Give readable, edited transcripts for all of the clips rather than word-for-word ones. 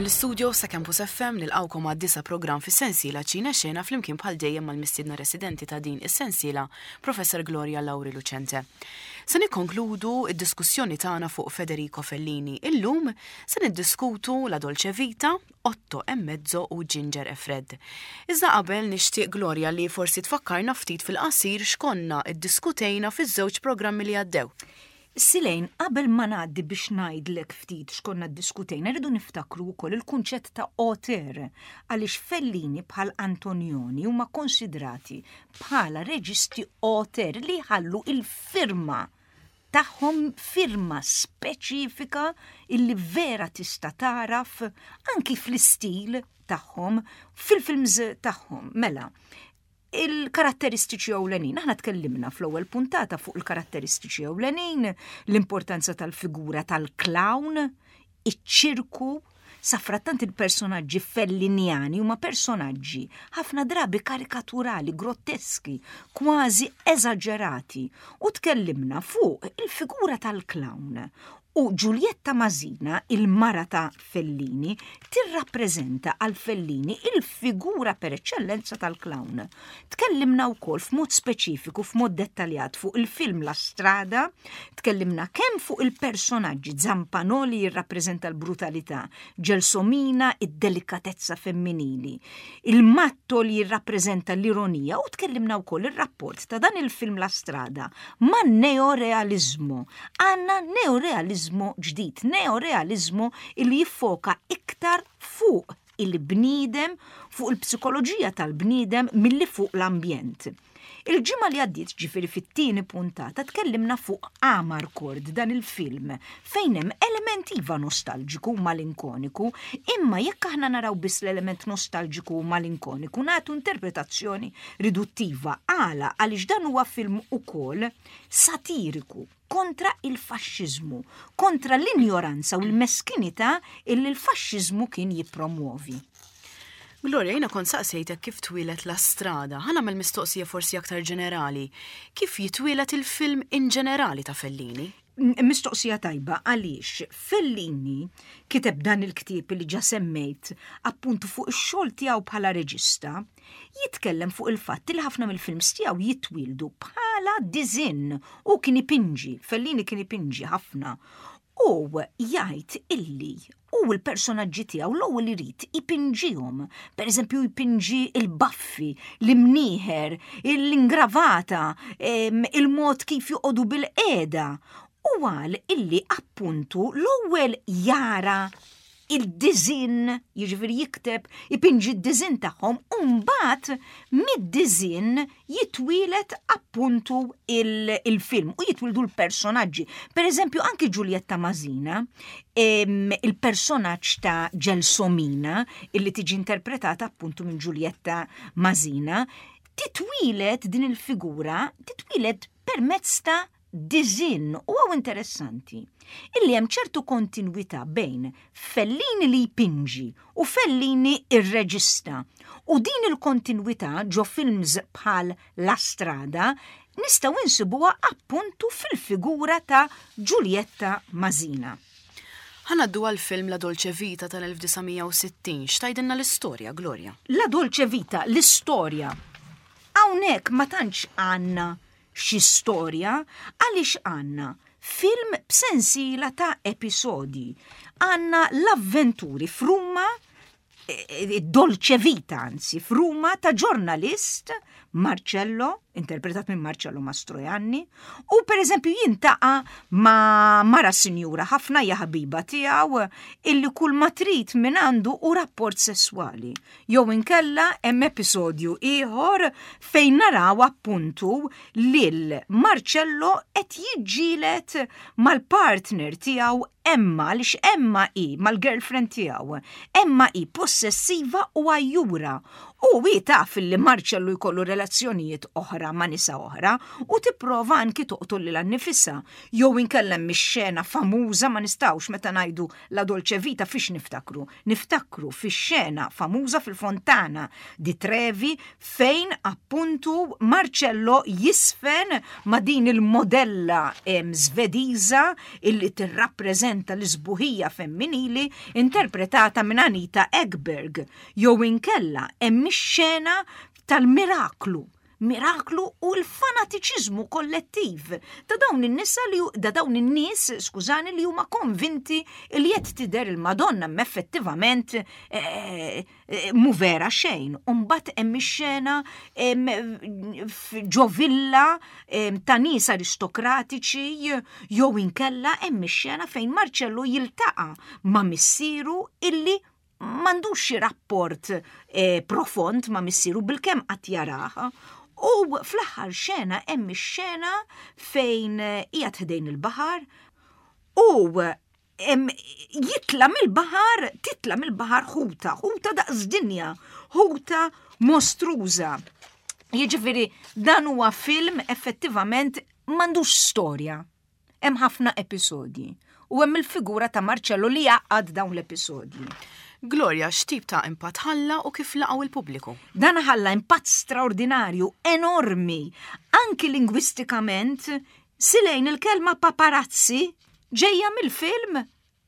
Mill-istudio sa Campus FM nilqawkom għad-disa programm fis-sensiela Ċina Xena flimkien bħal dejjem mal-mistiedna residenti ta' din is-sensiela, Professor Gloria Lauri Lucente. Se nikkonkludu id-diskussjoni tagħna fuq Federico Fellini. Illum se niddiskutu La Dolce Vita, Otto e Mezzo u Ginger e Fred. Iżda qabel nixtieq Gloria li forsi tfakkarna ftit fil-qasir x'konna iddiskutejna fiż-żewġ programmi li għaddew. Silejn, qabel ma ngħaddi biex ngħidlek ftit x'konna ddiskutejna, rridu niftakru wkoll il-kunċett ta' auteur għaliex Fellini bħal Antonioni huma konsidrati bħala reġisti auteur li jħallu il-firma tagħhom firma speċifika illi vera tista' tagħraf anki fl-istil tagħhom, fil-films tagħhom. Mela, il-karatteristiċi ewlenin. Aħna tkellimna fl-ewwel puntata fuq il-karatteristiċi ewlenin, l-importanza tal-figura tal-clown, iċ-ċirku, safrattant il-personaġġi fellinjani huma personaġġi ħafna drabi karikaturali, grotteski, kważi eżaġerati. U tkellimna fuq il-figura tal-clown u Giulietta Masina, il-mara ta' Fellini, tirrappreżenta għal Fellini il-figura per eċċellenza tal-clown. Tkellimna wkoll f'mod speċifiku, f'mod dettaljat fuq il-film La Strada, tkellimna kemm fuq il-personaġġi Zampano li jirrappreżenta l-brutalità, Gelsomina id-delikatezza femminili, il-Matto li jirrappreżenta l-ironija u tkellimna wkoll ir-rapport ta' dan il-film La Strada man-neorealiżmu. Għandna neorealiżmu ġdid, neorealiżmu illi jiffoka iktar fuq il-bniedem, fuq il-psikoloġija tal-bniedem milli fuq l-ambjent. Il-ġimgħa li għaddiet ġifieri fit-tieni puntata tkellimna fuq Amarcord dan il-film fejn hemm element iva nostalġiku u malinkoniku, imma jekk aħna naraw biss l-element nostalġiku u malinkoniku nagħtu interpretazzjoni riduttiva. Għala għaliex dan huwa film ukoll satiriku kontra il-faxxiżmu, kontra l-injoranza u l-meskinità illi l-faxxiżmu kien jippromwovi. Gloria, jiena kont saqsejtek kif twieled La Strada. Ħa nagħmel mistoqsija forsi aktar ġenerali. Kif jitwieled il-film in ġenerali ta' Fellini? Mistoqsija tajba għaliex Fellini kiteb dan il-ktieb li ġa semmejt appuntu fuq ix-xogħol tiegħu bħala reġista, jitkellem fuq il-fatt li ħafna mill-films tiegħu jitwieldu bħala diżinn u kien ipinġi, Fellini kien ipinġi ħafna. U jgħid illi u l-personaġġi tiegħu l-ewwel irid ipinġihom. Pereżempju jpinġi il-baffi, l-imnieħer, l-ingravata, il-mod kif joqogħdu bil-qiegħda. U qal illi appuntu l-ewwel jara il-diżinn, jiġifieri jikteb, ipinġi d-diżinn tagħhom u mbagħad mid-diżinn jitwieled appuntu il-film u jitwildu l-personaġġi. Per eżempju, anki Giulietta Masina, il-personaġġ ta' Gelsomina, illi tiġi interpretata appuntu minn Giulietta Masina, titwieled din il-figura, titwieled permezz ta' diżinn u hawn interessanti illi hemm ċertu kontinwità bejn Fellini li jpinġi u Fellini ir-reġista. U din il-kontinwità ġo films bħal La Strada nistgħu insibuha appuntu fil-figura ta' Giulietta Masina. Ħa ngħaddu għall-film La Dolce Vita tal-1960. X'tgħidilna l-istorja, Gloria? La Dolce Vita, l-istorja. Hawnhekk ma tantx għandna xi storja għaliex għandna film b'sensiela ta' episodji. Għandna l-avventuri f'Ruma, id-Dolce Vita anzi, f'Ruma ta' ġurnalist Marcello, interpretat minn Marcello Mastroianni, u per eżempju jintaqa' ma' mara sinjura ħafna hija ħabiba tiegħu illi kull ma trid minn għandu hu rapport sesswali. Jew inkella hemm episodju ieħor fejn naraw appuntu lil Marcello qed jiġġieled mal-partner tiegħu Emma għaliex Emma hi mal-girlfriend tiegħu. Emma hi possessiva u għajjura. U hi taf li Marcello jkollu relazzjonijiet oħra ma' nisa oħra u tipprova anki toqtol lilha nnifisha. Jew inkella hemm ix-xena famuża ma nistgħux meta ngħidu La Dolce Vita fiex niftakru? Niftakru fix-xena famuża fil-Fontana di Trevi fejn appuntu Marcello jisfen ma' din il-modella Svediża illi tirrappreżenta l-isbuħija femminili interpretata minn Anita Ekberg. Jew inkella hemm ix-xena tal-miraklu miraklu u l-fanatiċiżmu kollettiv ta' dawn in-nisa li da dawn in-nies, skużani, li huma konvinti li qed tidher il-Madonna effettivament eh, eh, mu vera xejn. Umbagħad hemm ix-xena ġo villa ta' nies aristokratiċi jew inkella hemm ix-xena fejn Marcello jiltaqa' ma' missieru illi m'għandux xi rapport eh, profond ma' missieru bilkemm qatt jarah. U fl-aħħar xena hemm ix-xena fejn eh, qiegħed ħdejn il-baħar u jitla mill-baħar, titla mill-baħar ħuta, ħuta daqs dinja, ħuta mostruża. Jiġifieri dan huwa film effettivament m'għandux storja. Hemm ħafna episodji u hemm il-figura ta' Marcello li jgħaqqad dawn l-episodji. Gloria, x'tip ta' impatt ħalla u kif laqgħu il-pubbliku? Dan ħalla impatt straordinarju, enormi, anki lingwistikament, silejn il-kelma paparazzi ġejja mill-film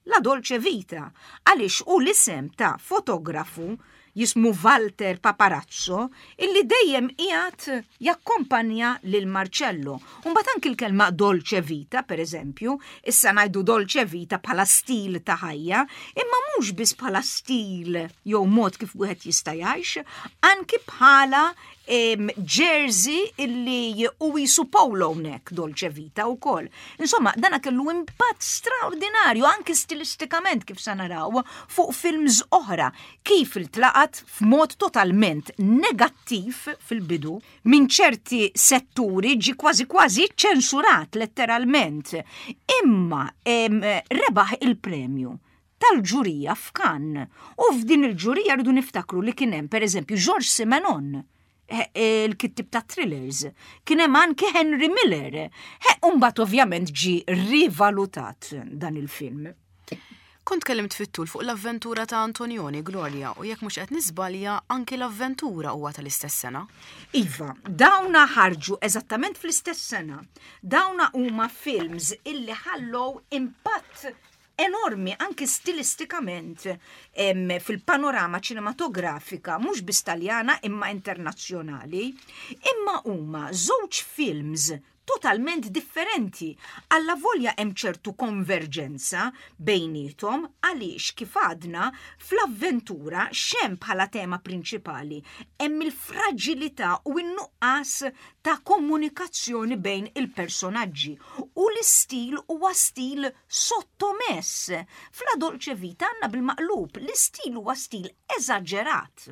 La Dolce Vita, għaliex hu l-isem ta' fotografu jismu Walter Paparazzo illi dejjem qiegħed jakkompanja lil Marcello. U mbagħad anki l-kelma Dolce Vita, per eżempju, issa ngħidu Dolce Vita bħala stil ta' ħajja, imma mhux biss bħala stil jew mod kif wieħed jista' jgħix, anki bħala jersey illi u jisu polo neck Dolce Vita u kol. Insomma, dana kellu impatt straordinarju anki stilistikament kif sa naraw fuq films oħra kif iltlaqat f'mod totalment negattiv fil-bidu minn ċerti setturi ġi kważi kważi ċensurat letteralment. Imma rebaħ il-premju tal-ġurija f'Cannes. U f'din il-ġurija rridu niftakru li kien hemm pereżempju Georges Simenon, eh, eh, il-kittib ta' thrillers, kien hemm anke Henry Miller. Eh, u mbagħad ovvjament ġi rivalutat dan il-film. Kont kellimt fit-tul fuq l-avventura ta' Antonioni, Gloria, u jekk mhux qed niżbalja anki l-avventura huwa tal-istess sena. Iva, dawna ħarġu eżattament fl-istess sena. Dawna huma films illi ħallow impatt enormi anki stilistikament fil-panorama ċinematografika mhux biss Taljana imma internazzjonali, imma huma żewġ films totalment differenti. Alla volja hemm ċertu konverġenza bejniethom għaliex kif għadna fl-avventura x'hemm bħala tema prinċipali hemm il-fraġilità u n-nuqqas ta' komunikazzjoni bejn il-personaġġi u l-istil huwa stil sottomess. F'La Dolce Vita għandna bil-maqlub, l-istil huwa stil eżaġerat.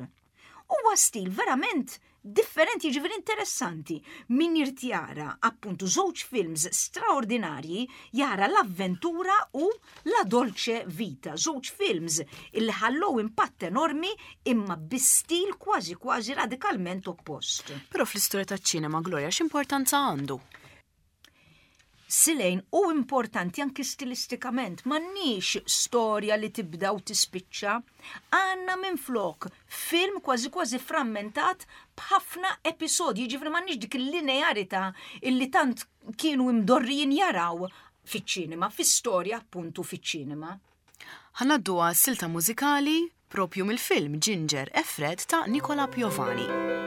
Huwa stil verament differenti, jiġifieri interessanti. Min irid jara appuntu żewġ films straordinarji jara l-avventura u La Dolce Vita, żewġ films illi ħallew impatt enormi imma bi stil kważi kważi radikalment oppost. Però fl-istorja taċ-ċinema, Gloria, x'importanza għandu? Silejn u importanti anki stilistikament, m'għandniex storja li tibda u tispiċċa. Għandna minflok film kważi kważi frammentat b'ħafna episodji, jiġifieri m'għandniex dik il-linearità illi tant kienu imdorrijin jaraw fiċ-ċinema, fi-storja appuntu fiċ-ċinema. Ħa ngħaddu għal silta mużikali propju mill-film Ginger e Fred ta' Nicola Piovani.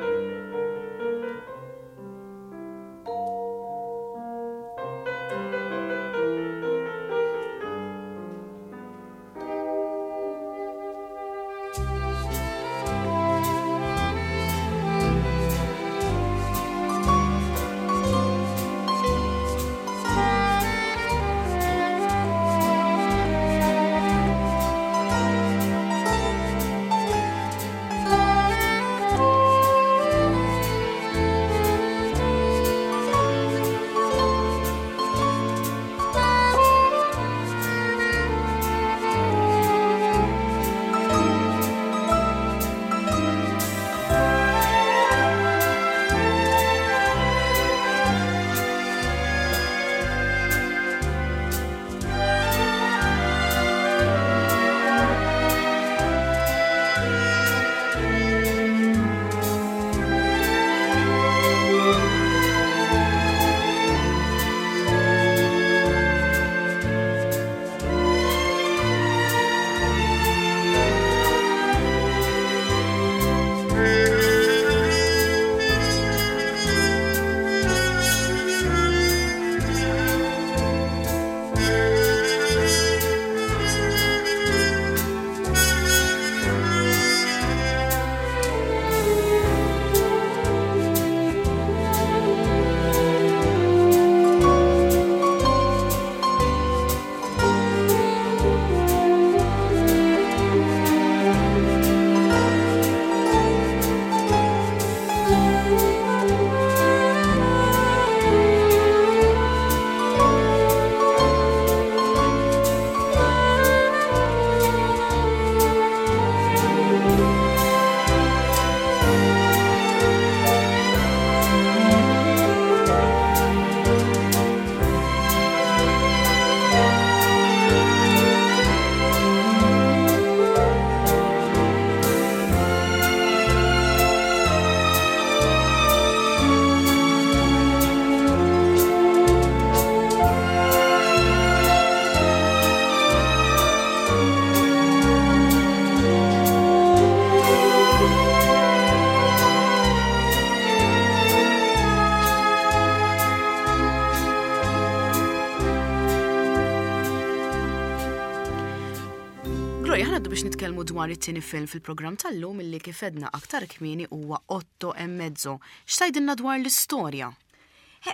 dwar it-tieni film fil-programm tal-lum illi kif għedna aktar kmieni huwa Otto e Mezzo. X'tgħidilna dwar l-istorja?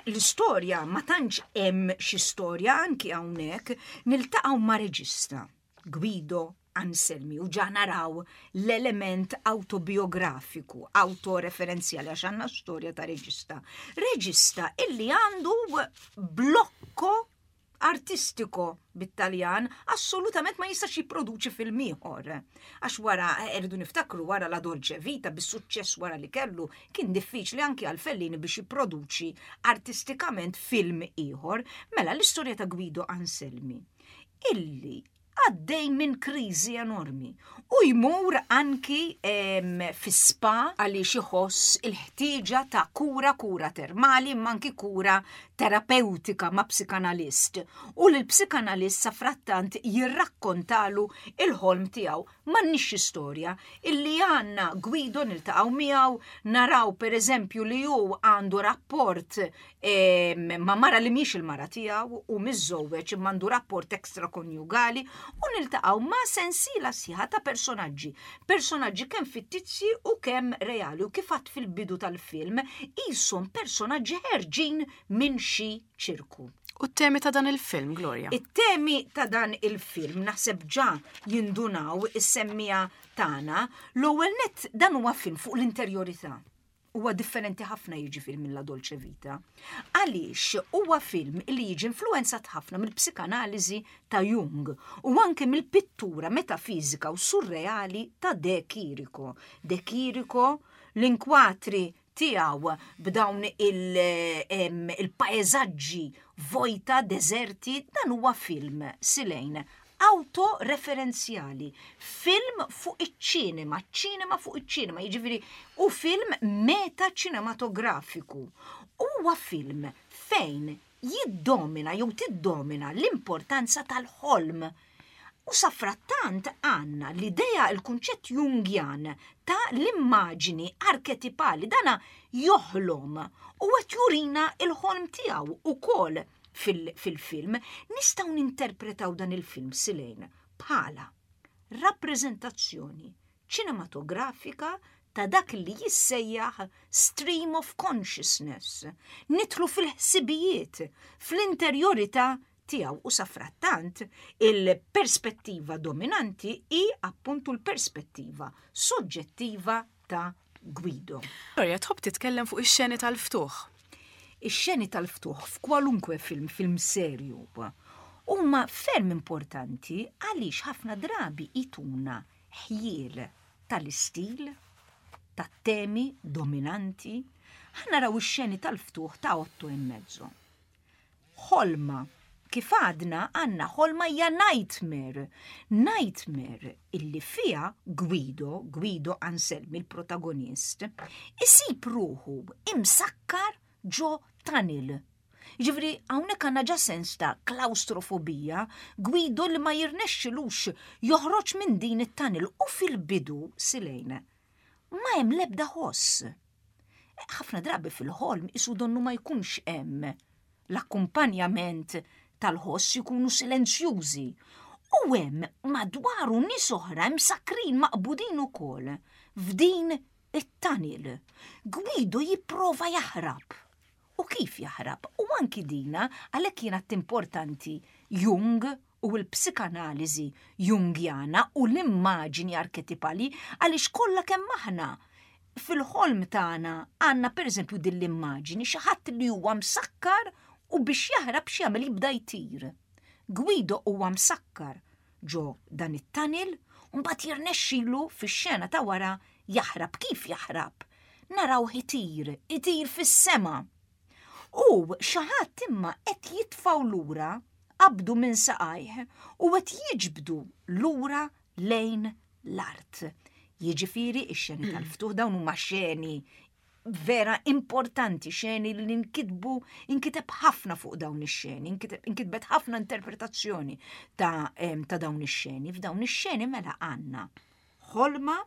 L-istorja ma tantx hemm xi storja anki hawnhekk niltaqgħu ma' reġista Guido Anselmi u ġa naraw l-element autobiografiku, autoreferenzjali għax għandna storja ta' reġista. Reġista illi għandu blokko artistico bit-Taljan assolutament ma jistax jipproduċi film ieħor. Għax wara eh, rridu niftakru wara la Dolce Vita bis-suċċess wara li kellu kien diffiċli anki għal Fellini biex jipproduċi artistikament film ieħor. Mela l-istorja ta' Guido Anselmi illi għaddej minn kriżi enormi u jmur anki fi spa għaliex iħoss il-ħtieġa ta' kura kura termali imma anki kura terapeutika ma' psikanalist u l-psikanalist sa frattant jirrakkontalu il-ħolm tiegħu. M'għandniex storja illi għandna Guido niltaqgħu miegħu naraw pereżempju li hu għandu rapport ma' mara li mhix il-mara tiegħu u miżżewweġ imma għandu rapport ekstrakonjugali u niltaqgħu ma' sensiela sħiħa ta' personaġġi. Personaġġi kemm fittizji u kemm reali u kif għadt fil-bidu tal-film qishom personaġġi ħerġin minn xi ċirku. U t-temi ta' dan il-film, Gloria? It-temi ta' dan il-film naħseb ġa jindunaw is-semmija tagħna. L-ewwel nett dan huwa film fuq l-interjorità. Huwa differenti ħafna jiġifieri minn La Dolce Vita. Għaliex huwa film li jiġi influenzat ħafna mill-psikanaliżi ta' Jung u anke mill-pittura metafiżika u surreali ta' De Chirico. De Chirico l-inkwatri tiegħu b'dawn il-paeżaġġi vojta, deżerti, dan huwa film silejn autoreferenzjali, film fuq iċ-ċinema, ċinema fuq iċ-ċinema, jiġifieri u film meta ċinematografiku. Huwa film fejn jiddomina jew tiddomina l-importanza tal-ħolm. U safrattant għandna l-idea, il-kunċett Jungjan ta' l-immaġini arketipali, dana joħlom u qed jurina l-ħolm tiegħu ukoll fil-film. Nistgħu ninterpretaw dan il-film silejn bħala rappreżentazzjoni ċinematografika ta' dak li jissejjaħ stream of consciousness. Nidħlu fil-ħsibijiet, fl-interjorità tiegħu u safrattant il-perspettiva dominanti hi appuntu l-perspettiva soġġettiva ta' Guido. Gloria, tħobb titkellem fuq ix-xeni tal-ftuħ. Ix-xeni tal-ftuħ f'kwalunkwe film, film serju, huma ferm importanti għaliex ħafna drabi jtuna ħjiel tal-istil, tat-temi dominanti. Ħa naraw ix-xeni tal-ftuħ ta' Otto e Mezzo. Ħolma. Kif għadna għandna ħolma hija nightmare. Nightmare illi fiha Guido, Guido Anselmi l-protagonist, isib ruħu imsakkar ġo tunnel. Ġifri, hawnhekk għandna ġa sens ta' klaustrofobija, Guido li ma jirnexxilux joħroġ minn din it-tunnel u fil-bidu silejn. Ma hemm l-ebda ħoss. Ħafna drabi fil-ħolm isu donnu ma jkunx hemm l-akkumpanjament tal-ħoss jkunu silenzjużi. U hemm madwaru nies oħra msakrin maqbudin ukoll f'din it-tunnel. Guido jipprova jaħrab. U kif jaħrab? U anki dina għalhekk jiena importanti Jung u l-psikanaliżi Jungjana u l-immaġini arketipali għaliex kollha kemm aħna fil-ħolm tagħna għandna pereżempju din l-immaġini xi ħadd li huwa msakkar u biex jaħrab x'jagħmel jibda jtir. Guido huwa msakkar ġo dan it-tunnel u mbagħad jirnexxilu fix-xena ta' wara jaħrab. Kif jaħrab? Narawh itir, itir fis-sema. U xi ħadd imma qed jitfgħu lura, qabdu minn saqajh u qed jiġbdu lura lejn l-art. Jiġifieri x-xeni tal-ftuħ dawn huma xeni vera importanti, xeni li nkitbu, inkiteb ħafna fuq dawn ix-xeni, inkitbet ħafna interpretazzjoni ta', ta dawn ix-xeni. F'dawn ix-xeni mela għandna ħolma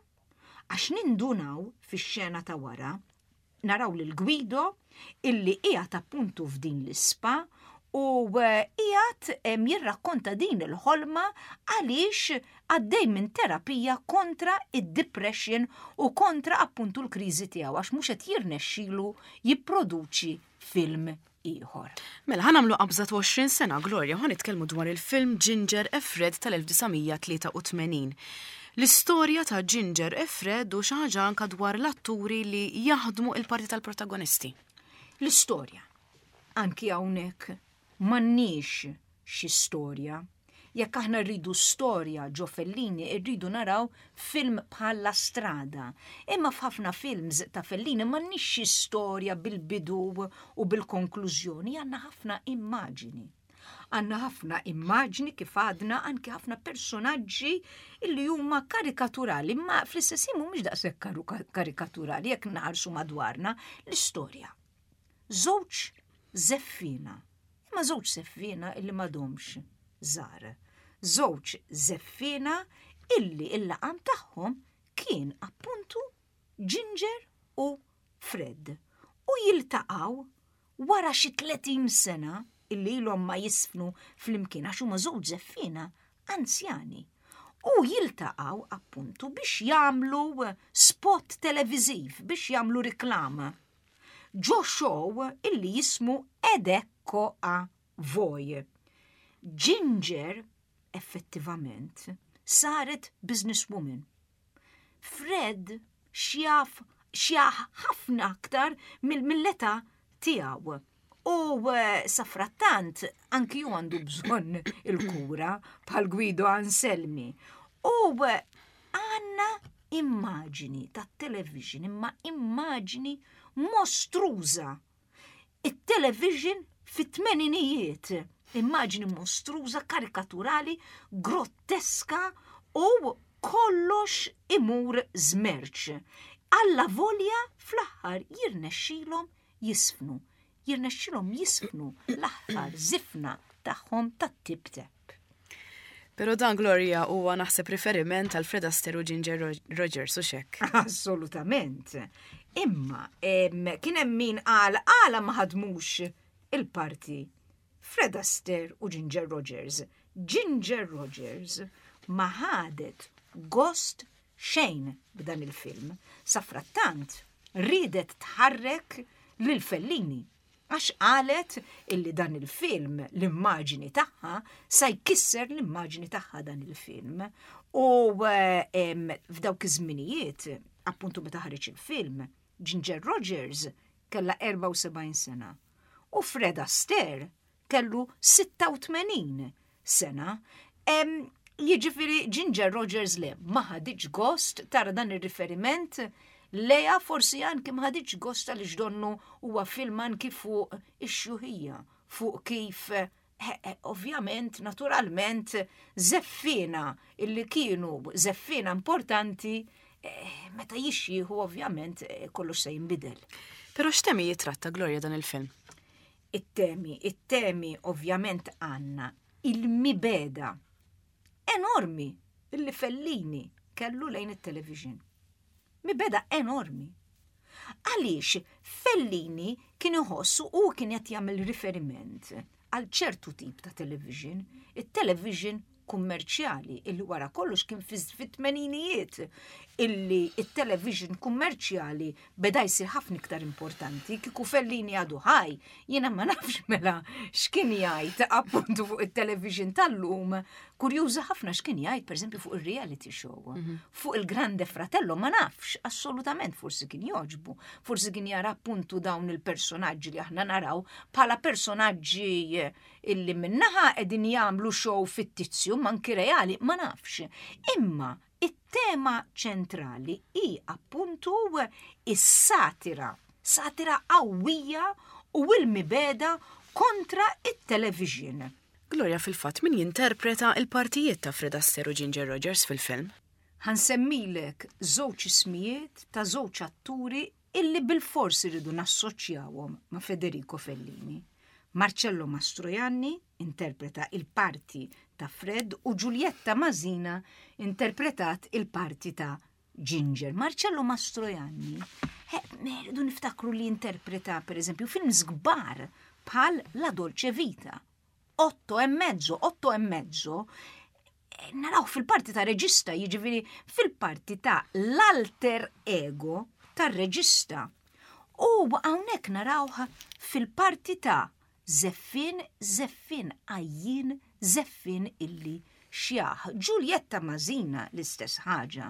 għax nindunaw fix-xena ta' wara naraw lil Guido illi qiegħed appuntu f'din l-ispa. U eh, qiegħed jirrakkonta din il-ħolma għaliex għaddej minn terapija kontra id-depression u kontra appuntu l-kriżi tiegħu għax mhux qed jirnexxilu jipproduċi film ieħor. Mela ħa nagħmlu qabża 20 sena Gloria u ħa nitkellmu dwar il-film Ginger e Fred tal-1983. L-istorja ta' Ginger e Fred u xi ħaġa anka dwar l-atturi li jaħdmu il-parti tal-protagonisti. L-istorja. Anki hawnhekk m'għandniex xi storja. Jekk aħna rridu storja ġo Fellini, rridu naraw film bħal La Strada. Imma f'ħafna films ta' Fellini m'għandniex xi storja bil-bidu u bil-konklużjoni, għandna ħafna immaġini. Għandna ħafna immaġni kif għadna anki ħafna personaġġi illi huma karikaturali, ma fl-istess ħin mhumiex daqshekk karikaturali jekk naħarsu madwarna l-istorja. Żewġ żeffiena, imma żewġ żeffiena illi m'għadhomx żgħar. Żewġ żeffiena illi il-laqam tagħhom kien appuntu Ginger u Fred. U jiltaqgħu wara xi 30 sena illi ilhom ma jisfnu flimkien għax huma żewġ żeffiena anzjani. U jiltaqgħu appuntu biex jagħmlu spot televiżiv, biex jagħmlu riklama. Ġo show illi jismu Ed Ecco a Voi. Ginger effettivament saret businesswoman. Fred xjaf xjaħ ħafna aktar mill-età tiegħu. U eh, safrattant anki ju għandu bżonn il-kura bħal Guido Anselmi. U eh, għanna immaġini tat-television, imma immaġini mostruża. It-television fit-tmeninijiet, immaġini mostruża, karikaturali, grotteska u kollox imur żmerċ. Alla volja fl-aħħar jirnexxilhom jisfnu. Jirnexxilhom jisfnu l-aħħar żifna tagħhom tat-tip tep. Pero dan Gloria huwa naħseb riferiment għal Fred Astaire u Ginger Rogers u xek. Assolutament. Imma kien hemm min qal għala ma ħadmux il-parti Fred Astaire u Ginger Rogers. Ginger Rogers ma ħadet gost xejn b'dan il-film. Safrattant riedet tħarrek lil Fellini għax qalet illi dan il-film l-immaġini tagħha sa jkisser l-immaġini tagħha dan il-film. U eh, f'dawk iż-żminijiet, appuntu meta ħareġ il-film, Ginger Rogers kellha 74 sena u Fred Astaire kellu 86 sena. Jiġifieri Ginger Rogers le ma ħaditx gost tara dan ir-riferiment leja forsi anki ma ħaditx gost għaliex donnu huwa film anki fuq ix-xjuħija, fuq kif eh, eh, ovvjament, naturalment, zeffina illi kienu zeffina importanti eh, meta jixjieħu ovvjament kollox se jinbidel. Però x'temi jitratta Gloria dan il-film? It-temi, it-temi ovvjament għandna il-mibeda enormi illi Fellini kellu lejn it-television. Mibeda enormi. Għaliex Fellini kien iħoss u kien qed jagħmel riferiment għal ċertu tip ta' television, it-television kummerċjali illi wara kollox kien fit-tmeninijiet illi it-television kummerċjali beda jsir ħafna iktar importanti kieku Fellini għadu ħaj jiena ma nafx mela x'kien jgħid appuntu fuq it-television tal-lum kurjuża ħafna x'kien jgħid pereżempju fuq ir-reality show mhm. fuq il-Grande Fratello ma nafx assolutament forsi kien jogħġbu forsi kien jara appuntu dawn il-personaġġi li aħna naraw bħala personaġġi illi minnaħa qegħdin jagħmlu show fittizju manki reali, ma nafx. Imma it-tema ċentrali hi appuntu is-satira, satira qawwija u l-mibeda kontra it-television. Gloria fil-fatt min jinterpreta il-partijiet ta' Fred Astaire u Ginger Rogers fil-film? Ħa nsemmilek żewġ ismijiet ta' żewġ atturi illi bilfors irridu nassoċjawhom ma' Federico Fellini. Marcello Mastroianni interpreta il-parti ta' Fred u Giulietta Masina interpretat il-parti ta' Ginger. Marcello Mastroianni, eh, rridu niftakru li interpreta per eżempju films kbar. bħal La Dolce Vita. Otto e mezzo, otto e mezzo, eh, naraw fil-parti ta' reġista, jiġifieri fil-parti ta' l-alter ego tar-reġista. U hawnhekk narawh fil-parti ta' Żeffien, żeffien għajjien, żeffien illi xjaħ. Ġuljetta Mażina l-istess ħaġa.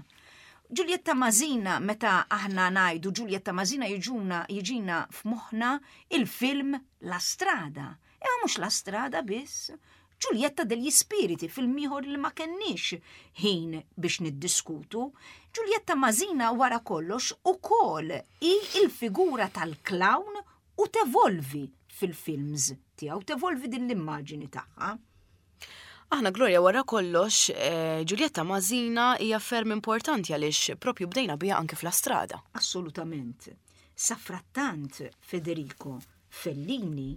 Ġuljetta Mażina meta aħna ngħidu Ġuljetta Mażina jiġuna jiġina f'moħħna il-film La Strada. Imma mhux La Strada biss. Ġuljetta degli Spiriti, film ieħor li ma kenniex ħin biex niddiskutu. Ġuljetta Mażina wara kollox ukoll hi il-figura tal-clown u tevolvi fil-films tiegħu, tevolvi din l-immaġini tagħha. Aħna Gloria wara kollox, eh, Giulietta Mażina hija ferm importanti għaliex propju bdejna biha anke fl-astrada. Assolutament. Safrattant Federico Fellini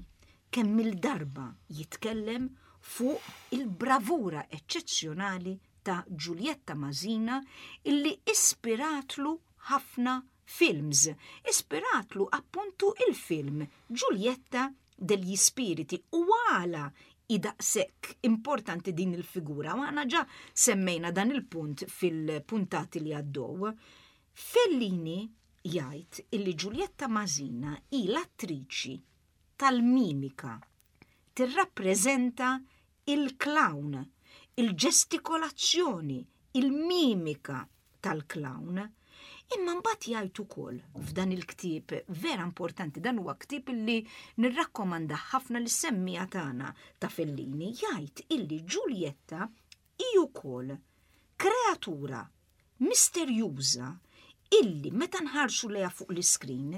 kemm il-darba jitkellem fuq il-bravura eċċezzjonali ta' Giulietta Masina illi ispiratlu ħafna films. Ispiratlu appuntu il-film Giulietta degli Spiriti u għala hi daqshekk importanti din il-figura u aħna ġa semmejna dan il-punt fil-puntati li għaddew. Fellini jgħid illi Giulietta Masina hi l-attriċi tal-mimika, tirrappreżenta il-clown, il-ġestikolazzjoni, il-mimika tal-clown. Imma mbagħad jgħid ukoll f'dan il-ktieb vera importanti, dan huwa ktieb illi nirrakkomanda ħafna lis semmija tagħna ta' Fellini, jgħid illi Giulietta hi wkoll kreatura misterjuża illi meta nħarsu lejha fuq l-iskrin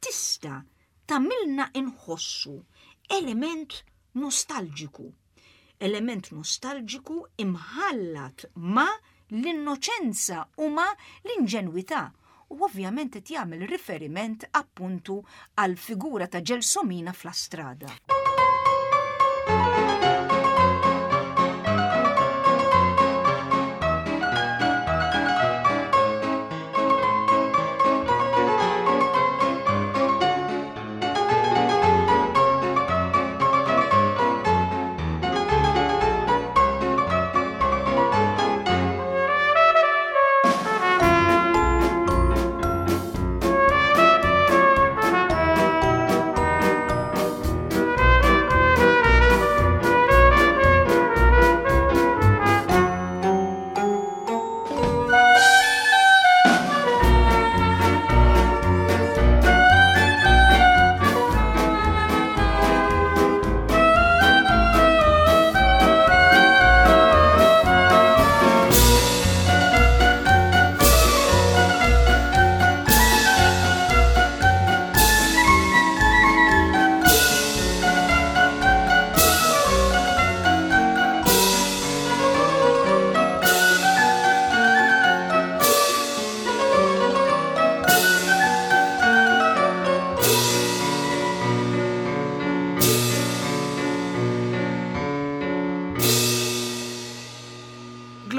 tista' tagħmilna inħossu element nostalġiku. Element nostalġiku imħallat ma' l-innoċenza u ma' l-inġenwità u ovvjament qed jagħmel riferiment appuntu għal figura ta' Gelsomina f'La Strada.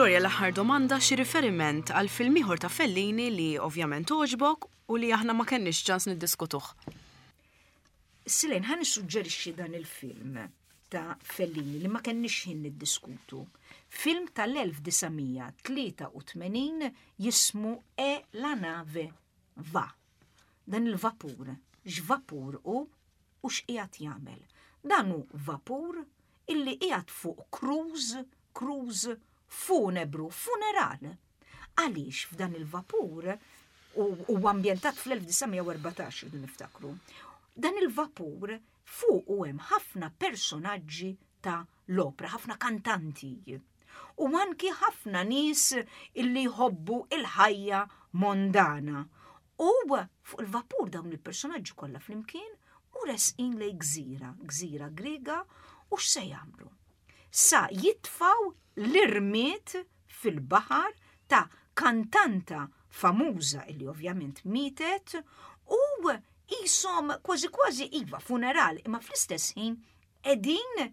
Gloria l-aħħar domanda xi riferiment għal film ieħor ta' Fellini li ovvjament għoġbok u li aħna ma kenniex ċans niddiskutuh. Silejn, ħa nissuġġerixxi dan il-film ta' Fellini li ma kenniex ħin niddiskutu. Film tal-1983 jismu E la nave va. Dan il-vapur, x'vapur hu u x'qiegħed jagħmel. Dan hu vapur illi qiegħed fuq cruise, cruise funebru, funeral. Għaliex f'dan il-vapur u ambjentat fl-1914 rridu niftakru. Dan il-vapur fuq u hemm ħafna personaġġi ta' l-opra, ħafna kantanti. U anki ħafna nies illi jħobbu il-ħajja mondana. U fuq il-vapur dawn il-personaġġi kollha flimkien u resqin lej gżira, gżira Griega u x'se jagħmlu? Sa jitfaw l-irmiet fil-baħar ta' kantanta famuża illi ovvjament mietet u qishom kważi kważi iva funeral imma fl-istess ħin qegħdin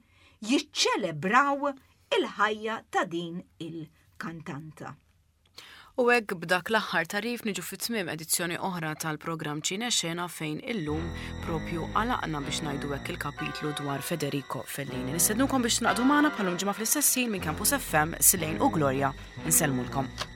jiċċelebraw il-ħajja ta' din il-kantanta. U hekk b'dak l-aħħar tagħrif niġu fi tmiem edizzjoni oħra tal-programm Ċine Xena fejn illum propju għalaqna biex ngħidu hekk il-kapitlu dwar Federico Fellini. Nistednukom biex tingħaqdu magħna bħal-lum ġimgħa fl-istess ħin minn Campus FM, Silejn u Gloria. Insellmulkom.